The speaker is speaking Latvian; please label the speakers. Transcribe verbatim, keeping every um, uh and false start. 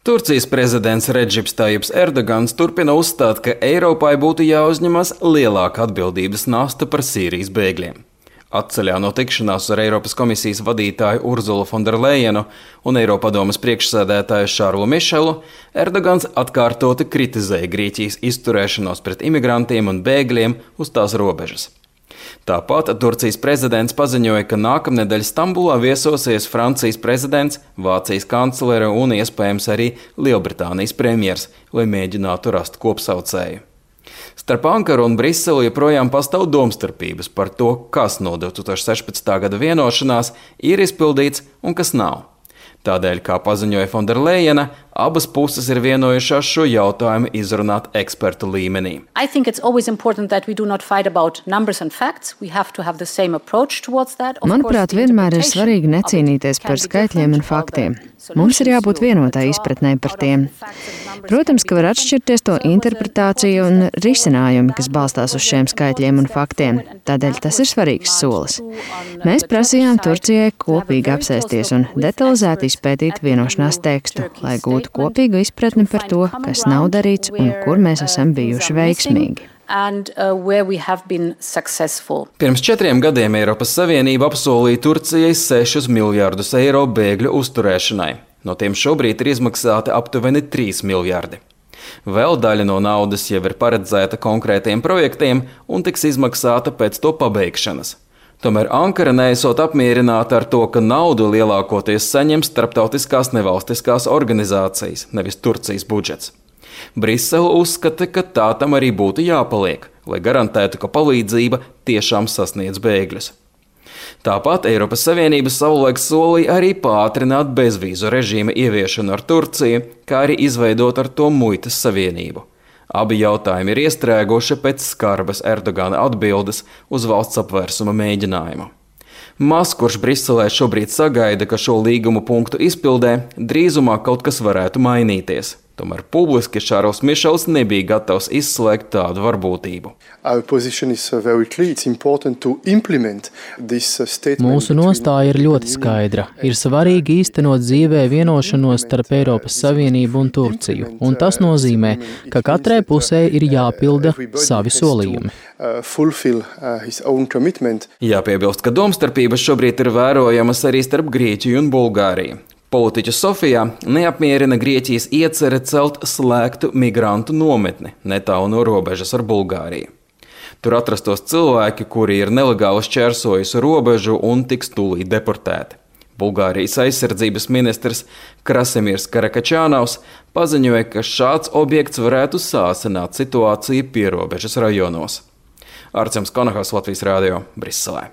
Speaker 1: Turcijas prezidents Redžips Tajips Erdogans turpina uzstāt, ka Eiropai būtu jāuzņemas lielāka atbildības nasta par Sīrijas bēgļiem. Atceļā no tikšanās ar Eiropas komisijas vadītāju Urzulu Fonderlejenu un Eiropadomes priekšsēdētāju Šarlu Mišelu, Erdogans atkārtoti kritizēja Grieķijas izturēšanos pret imigrantiem un bēgļiem uz tās robežas. Tāpat Turcijas prezidents paziņoja, ka nākamnedēļ Stambulā viesosies Francijas prezidents, Vācijas kanclere un iespējams arī Lielbritānijas premjers, lai mēģinātu rast kopsaucēju. Starp Ankaru un Briseli joprojām pastāv domstarpības par to, kas no divi tūkstoši sešpadsmitā gada vienošanās ir izpildīts un kas nav. Tādēļ, kā paziņoja Fonderlejena, abas puses ir vienojušās šo jautājumu izrunāt ekspertu līmenī.
Speaker 2: Manuprāt, vienmēr ir svarīgi necīnīties par skaitļiem un faktiem. Mums ir jābūt vienotai izpratnē par tiem. Protams, ka var atšķirties to interpretācija un risinājumi, kas balstās uz šiem skaitļiem un faktiem. Tādēļ tas ir svarīgs solis. Mēs prasījām Turcijai kopīgi apsēsties un detalizēti izpētīt vienošanās tekstu, lai gūtu kopīgu izpratni par to, kas nav darīts un kur mēs esam bijuši veiksmīgi.
Speaker 3: And, uh, where we have been successful.
Speaker 1: Pirms četriem gadiem Eiropas Savienība apsolīja Turcijai sešus miljardus eiro bēgļu uzturēšanai. No tiem šobrīd ir izmaksāti aptuveni trīs miljardi. Vēl daļa no naudas jau ir paredzēta konkrētiem projektiem un tiks izmaksāta pēc to pabeigšanas. Tomēr Ankara neesot apmierināta ar to, ka naudu lielākoties saņem starptautiskās nevalstiskās organizācijas, nevis Turcijas budžets. Brisele uzskata, ka tā tam arī būtu jāpaliek, lai garantētu, ka palīdzība tiešām sasniedz bēgļus. Tāpat Eiropas Savienība savulaik solīja arī pātrināt bezvīzu režīma ieviešanu ar Turciju, kā arī izveidot ar to muitas savienību. Abi jautājumi ir iestrēguši pēc skarbas Erdogana atbildes uz valsts apvērsuma mēģinājumu. Maz kurš Briselē šobrīd sagaida, ka šo līgumu punktu izpildē drīzumā kaut kas varētu mainīties. Tomēr publiski Šarls Mišels nebija gatavs izslēgt tādu varbūtību.
Speaker 4: Mūsu nostāja ir ļoti skaidra. Ir svarīgi īstenot dzīvē vienošanos starp Eiropas Savienību un Turciju, un tas nozīmē, ka katrai pusē ir jāpilda savi solījumi.
Speaker 1: Jāpiebilst, ka domstarpības šobrīd ir vērojamas arī starp Grieķiju un Bulgāriju. Politiķu Sofijā neapmierina Grieķijas iecere celt slēgtu migrantu nometni netālu no robežas ar Bulgāriju. Tur atrastos cilvēki, kuri ir nelegāli šķērsojuši robežu un tiks tūlīt deportēti. Bulgārijas aizsardzības ministrs Krasimirs Karakačānavs paziņoja, ka šāds objekts varētu sāsināt situāciju pierobežas rajonos. Arcems Konahas, Latvijas radio, Briselē.